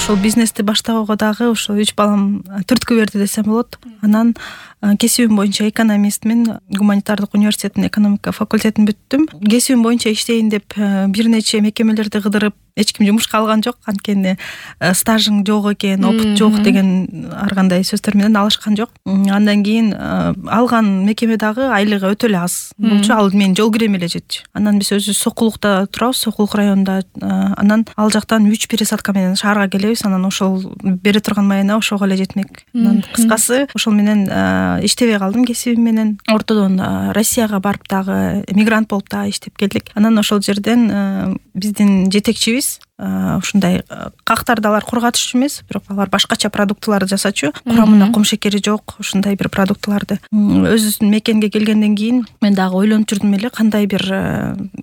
ошол бизнести баштоого дагы ошо 3 балам түрткү берди десем болот. Анан кесибим боюнча экономистмин, гуманитардык университеттин экономика факультетин бүттүм. Кесибим боюнча иштейин деп бир нече мекемелерди кыдырып, эч ким жумушка алган жок. Анткени стажың жок экен, опыт жок деген ар кандай сөздөр менен алышкан жок. Андан кийин алган мекеме дагы айлыгы өтө эле аз болчу. Ал менин жол кирем эле жетчү. Анан биз өзүбүз Сокулукта турабыз, Сокулук районунда. Анан ал жактан 3 пересадка менен шаарга келебиз. Анан ошол бере турган майына ошого эле жетмек. Анан кыскасы ошол менен иштебей калдым кесибим менен. Ортодон Россияга барып дагы мигрант болуп дагы иштеп келдик. Анан ошол жерден биздин жетекчибиз ушундай кактарды алар кургатышчу эмес, бирок алар башкача продуктыларды жасачу. Курамына кум шекери жок, ушундай бир продуктыларды. Өзүбүздүн мекенге келгенден кийин мен дагы ойлонуп жүрдүм эле кандай бир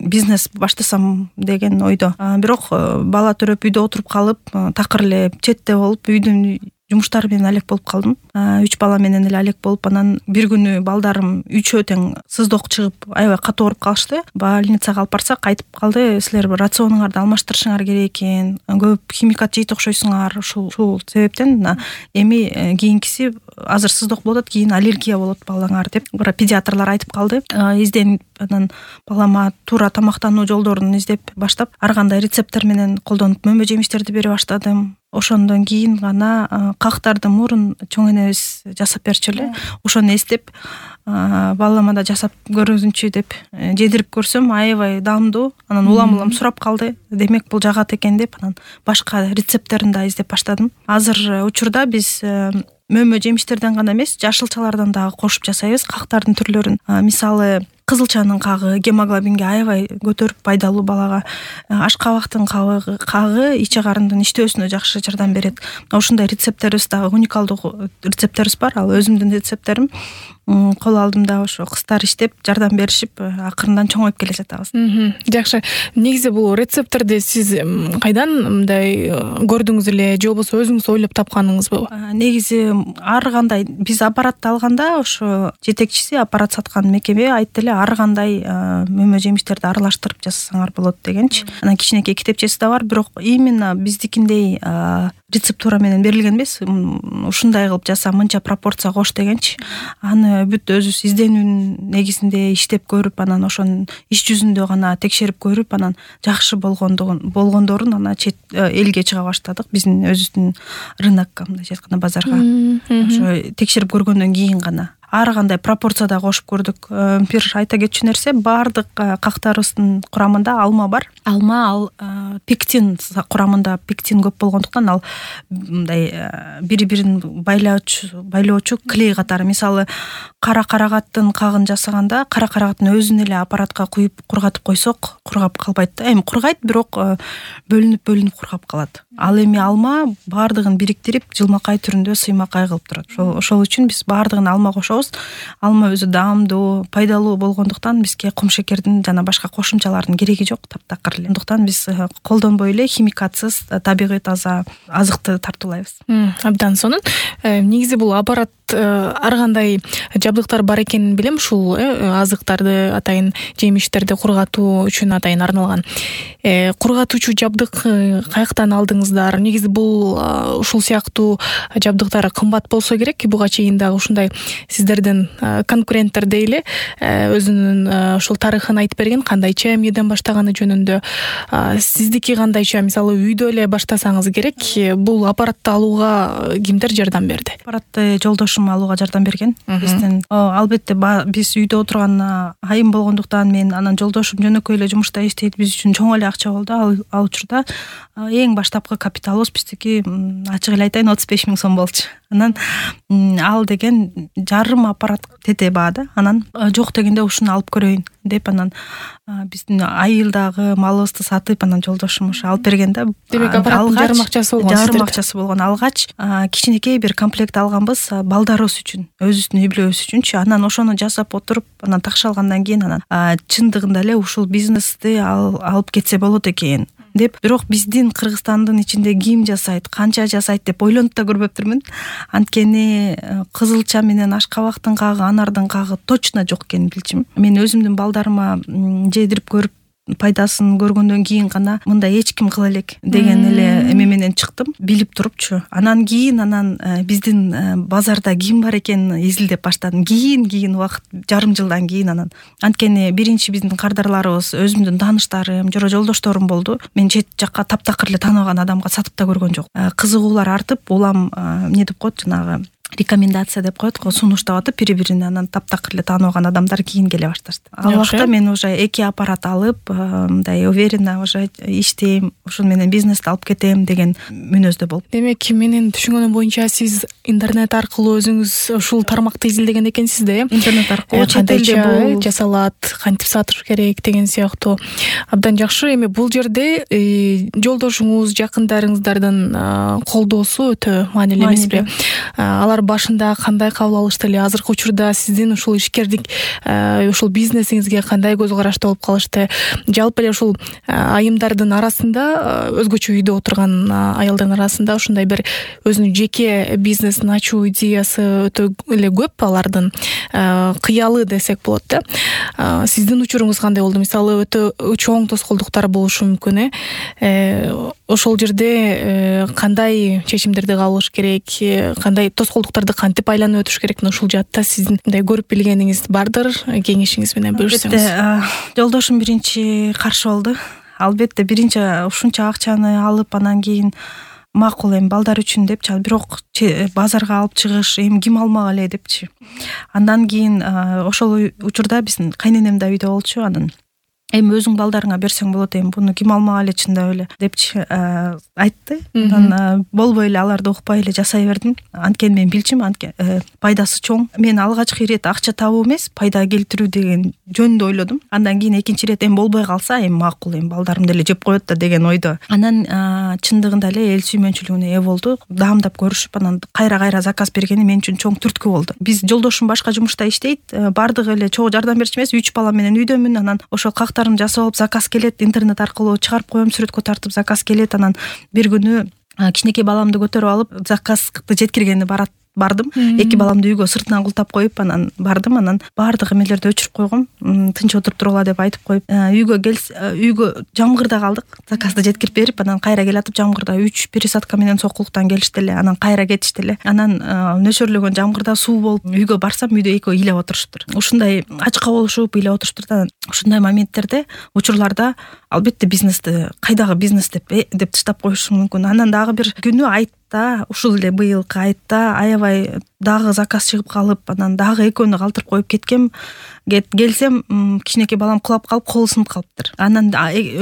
бизнес баштасам деген ойдо. Бирок бала төрөп үйдө отуруп калып, такыр эле четте болуп, үйдүн жумуштары менен алек болуп калдым. 3 бала менен эле алек болуп, анан бир күнү балдарым үчөө тең сыздок чыгып, аябай катуу ооруп калышты. Больницага алып барсак, айтып калды, силер рационуңарды алмаштырышыңар керек экен, көп химикат жейт окшойсуңар. Ушул себептен эми кийинкиси азыр сыздок болот, кийин аллергия болот балаңар деп педиатрлар айтып калды. Изденип анан балама туура тамактануу жолдорун издеп баштап, ар кандай рецепттер менен колдонуп мөмө жемиштерди бере баштадым. Ошондон кийин гана кактарды мурун чоң энебиз жасап берчү эле. Ошону эстеп, балама да жасап көрүнчү деп жедирип көрсөм, аябай даамдуу. Анан улам сурап калды. Демек бул жагат экен деп, анан башка рецепттерин да издеп баштадым. Азыр учурда биз мөмө жемиштерден гана эмес, жашылчалардан дагы кошуп жасайбыз кактардын түрлөрүн. Мисалы, кызылчанын кагы гемоглобинге аябай көтөрүп пайдалуу балага. Ашкабактын кагы ичи карындын иштөөсүнө жакшы жардам берет. Ушундай рецепттерибиз дагы уникалдуу рецепттерибиз бар. Ал өзүмдүн рецепттерим. Кол алдым да ошо кыздар иштеп, жардам беришип, акырындан чоңоюп келе жатабыз. Жакшы. Негизи бул рецепттерди сиз кайдан мындай көрдүңүз эле же болбосо өзүңүз ойлоп тапканыңызбы? Негизи ар кандай биз аппаратты алганда, ошо жетекчиси аппарат саткан мекеме айтты эле, ар кандай мөмө жемиштерди аралаштырып жасасаңар болот дегенчи. Анан кичинекей китепчеси да бар, бирок именно биздикиндей рецептура менен берилген эмес. Ушундай кылып жаса, мынча пропорция кош дегенчи. Аны бүт өзүбүз изденүүнүн негизинде иштеп көрүп, анан ошонун иш жүзүндө гана текшерип көрүп, анан жакшы болгондорун анан чет элге чыга баштадык. Биздин өзүбүздүн рынокко, мындай айтканда базарга. Ошо текшерип көргөндөн кийин гана ар кандай пропорцияда кошуп көрдүк. Бир айта кетчү нерсе, баардык кактарыбыздын курамында алма бар. Алма ал пектин курамында, пектин көп болгондуктан ал мындай бири-бирин байлоочу клей катары. Мисалы, кара карагаттын кагын жасаганда, кара карагаттын өзүн эле аппаратка куюп кургатып койсок, кургап калбайт да. Эми кургайт, бирок бөлүнүп кургап калат. Ал эми алма баардыгын бириктирип, жылмакай түрүндө сыймакай кылып турат. Ошол үчүн биз баардыгын алма кошобуз. Алма өзү даамдуу, пайдалуу болгондуктан бизге кум шекердин жана башка кошумчалардын кереги жок, таптакыр эле. Андыктан биз колдонбой эле химикатсыз, табигый таза азыкты тартуулайбыз. Абдан сонун. Негизи бул аппарат ар кандай жабдыктар бар экенин билем. Ушул азыктарды, атайын жемиштерди кургатуу үчүн атайын арналган. Кургатуучу жабдык каяктан алдыңыздар? Негизи бул ушул сыяктуу жабдыктар кымбат болсо керек. Буга чейин дагы ушундай сиздердин конкуренттер дейли өзүнүн ушул тарыхын айтып берген, кандайча эмнеден баштаганы жөнүндө. Сиздики кандайча? Мисалы, үйдө эле баштасаңыз керек, бул аппаратты алууга кимдер жардам берди? Аппаратты жолдошум алууга жардам берген. Биздин албетте биз үйдө отурган айым болгондуктан мен анан жолдошум жөнөкөй эле жумушта иштейт. Биз үчүн чоң эле акча болду. Ал учурда эң баштапкы капиталыбыз биздики, ачык эле айтайын, 35 000 сом болчу. Анан ал деген жарым аппарат тете баада. Анан жок дегенде ушуну алып көрөйүн деп, анан биздин айылдагы малыбызды сатып, анан жолдошум ушу алып берген да. Демек аппараттын жарым акчасы болгон. Жарым акчасы болгон. Алгач кичинекей бир комплект алганбыз балдарыбыз үчүн, өзүбүздүн үй бүлөбүз үчүнчү. Анан ошону жасап отуруп, анан такшалгандан кийин анан чындыгында эле ушул бизнести алып кетсе болот экен деп. Бирок биздин Кыргызстандын ичинде ким жасайт, канча жасайт деп ойлонуп да көрбөптүрмүн. Анткени кызылча менен ашкабактын кагы, анардын кагы точно жок экенин билчүмүн. Мен өзүмдүн балдарыма жедирип көрүп пайдасын көргөндөн кийин гана мындай эч ким кыла элек деген эле эме менен чыктым, билип турупчу. Анан кийин биздин базарда ким бар экенин изилдеп баштадым. Кийин убакыт, жарым жылдан кийин анан. Анткени биринчи биздин кардарларыбыз өзүмдүн тааныштарым, жолдошторум болду. Мен чет жакка таптакыр эле тааныбаган адамга сатып да көргөн жок. Кызыгуулар артып, улам эмне деп коет, жанагы рекомендация деп коет го, сунуштап атып бири-бирине, анан таптакыр эле тааныбаган адамдар кийин келе башташты. Ал убакта мен уже 2 аппарат алып, мындай уверенно уже иштейм, ушун менен бизнести алып кетем деген мүнөздө болуп. Демек, менин түшүнгөнүм боюнча сиз интернет аркылуу өзүңүз ушул тармакты изилдеген экенсиз да, интернет аркылуу кандайча жасалат, кантип сатыш керек деген сыяктуу. Абдан жакшы. Эми бул жерде жолдошуңуз, жакындарыңыздардын колдоосу өтө маанилүү эмеспи? Алар башында кандай кабыл алышты эле? Азыркы учурда сиздин ушул ишкердик, ушул бизнесиңизге кандай көз карашта болуп калышты? Жалпы эле ушул айымдардын арасында, өзгөчө үйдө отурган аялдардын арасында ушундай бир өзүнүн жеке бизнесин ачуу идеясы өтө эле көп алардын, кыялы десек болот да. Сиздин учуруңуз кандай болду? Мисалы, өтө чоң тоскоолдуктар болушу мүмкүн, ошол жерде кандай чечимдерди кабылыш керек, кандай тоскоолдуктарды кантип айланып өтүш керек? Ушул жаатта сиздин мындай көрүп билгениңиз бардыр, кеңешиңиз менен бөлүшсөңүз. Жолдошум биринчи каршы болду. Албетте, биринчи ушунча акчаны алып, анан кийин макул, эми балдар үчүн депчи, бирок базарга алып чыгыш эми ким алмак эле депчи. Андан кийин ошол учурда биздин кайненем да үйдө болчу. Анан эми өзүң балдарыңа берсең болот, эми буну ким алмак эле чындап эле депчи айтты. Анан болбой эле аларды укпай эле жасай бердим. Анткени мен билчүмүн, пайдасы чоң. Мен алгачкы ирет акча табуу эмес, пайда келтирүү деген жөнүндө ойлодум. Андан кийин экинчи ирет эми болбой калса, эми макул, эми балдарым деле жеп коет да деген ойдо. Анан чындыгында эле эл сүймөнчүлүгүнө ээ болду. Даамдап көрүшүп, анан кайра заказ бергени мен үчүн чоң түрткү болду. Биз жолдошум башка жумушта иштейт, бардыгы эле чогуу жардам берчү эмес, 3 балам менен үйдөмүн. Анан ошол жасап алып, заказ келет, интернет аркылуу чыгарып коем, сүрөткө тартып заказ келет. Анан бир күнү кичинекей баламды көтөрүп алып, заказды жеткиргени бардым. 2 баламды үйгө сыртынан култап коюп, анан бардым. Анан баардык эмелерди өчүрүп койгом, тынч отуруп тургула деп айтып коюп, үйгө жамгырда калдык. Заказды жеткирип берип, анан кайра келатып жамгырда 3 пересадка менен сокулуктан келишти эле. Анан кайра кетишти эле. Анан нөшөрлөгөн жамгырда суу болуп, үйгө барсам, үйдө экөө илеп отуруштур. Ушундай ачка болушуп, илеп отуруштур. Ушундай моменттерде, учурларда албетте бизнести, кайдагы бизнес деп таштап коюшу мүмкүн. Анан дагы бир күнү айтта, ушул эле быйылкы айтта аябай дагы заказ чыгып калып, анан дагы экөөнү калтырып коюп келсем, кичинекей балам кулап калып, колу сынып калыптыр. Анан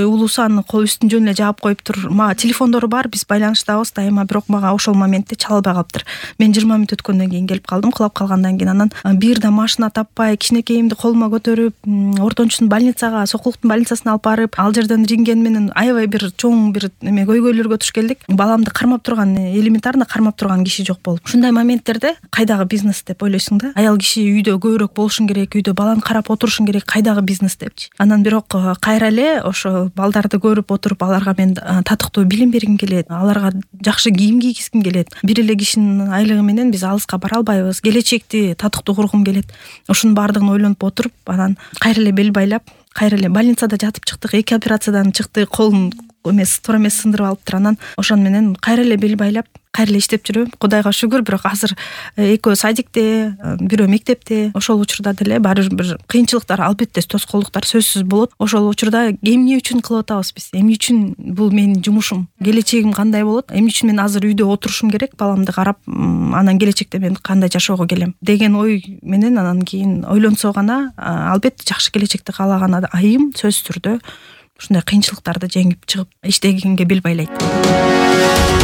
улуусу анын кол үстүн жөн эле жаап коюптур. Мага телефондору бар, биз байланыштабыз дайыма, бирок мага ошол моментте чала албай калыптыр. Мен 20 мүнөт өткөндөн кийин келип калдым, кулап калгандан кийин. Анан бир да машина таппай, кичинекейимди колума көтөрүп, ортончусун больницага, сокулуктун больницасына алып барып, ал жерден рентген менен аябай бир чоң бир эме көйгөйлөргө туш келдик. Баламды кармап турган, элементарно кармап турган киши жок болуп. Ушундай моменттерде кайдагы бизнес деп ойлойсуң да. Аял киши үйдө көбүрөөк болушуң керек, үйдө баланы карап отурушуң керек, кайдагы бизнес депчи. Анан бирок кайра эле ошо балдарды көрүп отуруп, аларга мен татыктуу билим бергим келет, аларга жакшы кийим кийгизгим келет. Бир эле кишинин айлыгы менен биз алыска бара албайбыз. Келечекти татыктуу кургум келет. Ушунун баардыгын ойлонуп отуруп, анан кайра эле бел байлап, кайра эле больницада жатып чыктык. 2 операциядан чыкты, колун туура эмес сындырып алыптыр. Анан ошон менен кайра эле бел байлап, кайра эле иштеп жүрөм. Кудайга шүгүр. Бирок азыр экөө садикте, бирөө мектепте. Ошол учурда деле баары бир кыйынчылыктар, албетте тоскоолдуктар сөзсүз болот. Ошол учурда эмне үчүн кылып атабыз биз? Эмне үчүн бул менин жумушум? Келечегим кандай болот? Эмне үчүн мен азыр үйдө отурушум керек, баламды карап, анан келечекте мен кандай жашоого келем деген ой менен анан кийин ойлонсо гана, албетте жакшы келечекти каалаган айым сөзсүз түрдө ушундай кыйынчылыктарды жеңип чыгып иштегенге бел байлайт.